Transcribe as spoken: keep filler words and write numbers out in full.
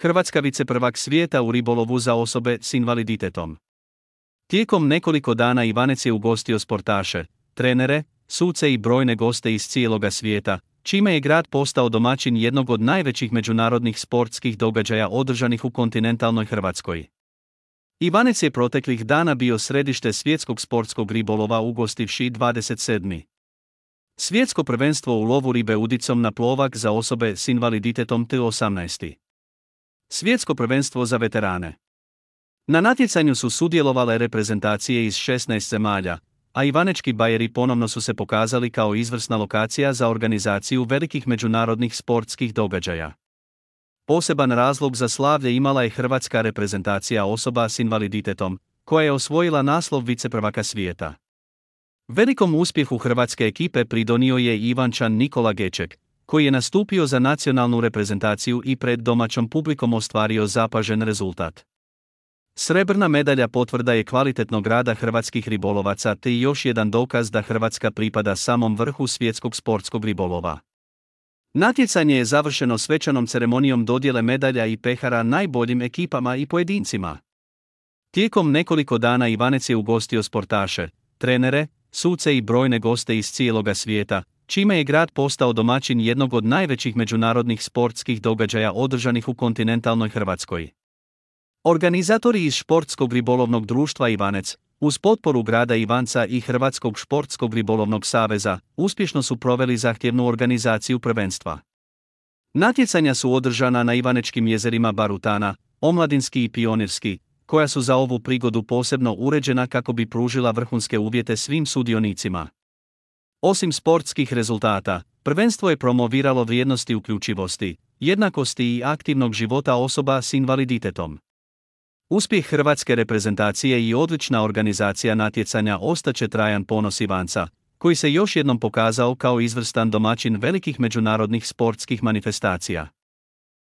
Hrvatska viceprvak svijeta u ribolovu za osobe s invaliditetom. Tijekom nekoliko dana Ivanec je ugostio sportaše, trenere, suce i brojne goste iz cijeloga svijeta, čime je grad postao domaćin jednog od najvećih međunarodnih sportskih događaja održanih u kontinentalnoj Hrvatskoj. Ivanec je proteklih dana bio središte svjetskog sportskog ribolova ugostivši dvadeset sedmo. Svjetsko prvenstvo u lovu ribe udicom na plovak za osobe s invaliditetom te osamnaesto. Svjetsko prvenstvo za veterane. Na natjecanju su sudjelovale reprezentacije iz šesnaest zemalja, a ivanečki bajeri ponovno su se pokazali kao izvrsna lokacija za organizaciju velikih međunarodnih sportskih događaja. Poseban razlog za slavlje imala je hrvatska reprezentacija osoba s invaliditetom, koja je osvojila naslov viceprvaka svijeta. Velikom uspjehu hrvatske ekipe pridonio je i Ivančan Nikola Geček, koji je nastupio za nacionalnu reprezentaciju i pred domaćom publikom ostvario zapažen rezultat. Srebrna medalja potvrda je kvalitetnog rada hrvatskih ribolovaca te i još jedan dokaz da Hrvatska pripada samom vrhu svjetskog sportskog ribolova. Natjecanje je završeno svečanom ceremonijom dodjele medalja i pehara najboljim ekipama i pojedincima. Tijekom nekoliko dana Ivanec je ugostio sportaše, trenere, suce i brojne goste iz cijeloga svijeta, čime je grad postao domaćin jednog od najvećih međunarodnih sportskih događaja održanih u kontinentalnoj Hrvatskoj. Organizatori iz Športskog ribolovnog društva Ivanec, uz potporu grada Ivanca i Hrvatskog športskog ribolovnog saveza, uspješno su proveli zahtjevnu organizaciju prvenstva. Natjecanja su održana na ivanečkim jezerima Barutana, Omladinski i Pionirski, koja su za ovu prigodu posebno uređena kako bi pružila vrhunske uvjete svim sudionicima. Osim sportskih rezultata, prvenstvo je promoviralo vrijednosti uključivosti, jednakosti i aktivnog života osoba s invaliditetom. Uspjeh hrvatske reprezentacije i odlična organizacija natjecanja ostaće trajan ponos Ivanca, koji se još jednom pokazao kao izvrstan domaćin velikih međunarodnih sportskih manifestacija.